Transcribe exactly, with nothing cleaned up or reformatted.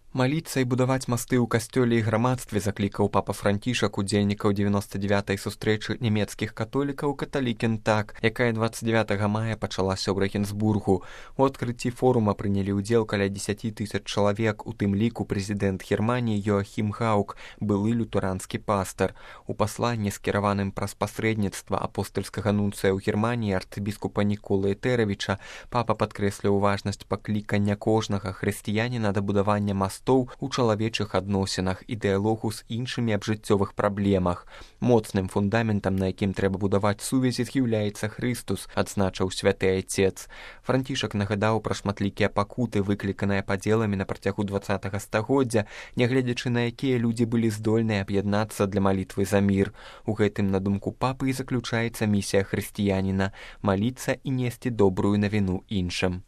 Маліцца і будаваць масты ў касцёле і грамадстве заклікаў папа Францішак удзельнікаў дзевяноста дзявятай сустрэчы нямецкіх католікаў «Каталікен так», якая дваццаць дзевятага мая пачалася ў Рэгенсбургу. У адкрыцці форума прынялі ўдзел каля дзесяць тысяч чалавек, у тым ліку прэзідэнт Германіі Йоахім Гаук, былы лютеранскі пастар. У пасланні, скіраваным праз пасрэдніцтва апостальскага нунцыя ў Германіі арцыбіскупа Ніколы Этэравіча, папа падкрэсліў важнасць паклікання кожнага хрысціяніна да будавання мастаў у чалавечых адносінах і дыялогу з іншымі аб жыццёвых праблемах. Моцным фундаментам, на якім трэба будаваць сувязі, з'яўляецца Хрыстус, адзначыў святы айцец. Францішак нагадаў пра шматлікія пакуты, выкліканыя падзеламі на працягу дваццатага стагоддзя, нягледзячы на якія людзі былі здольныя аб'яднацца для малітвы за мір. У гэтым, на думку папы, і заключаецца місія хрысціяніна – маліцца і несці добрую навіну іншым.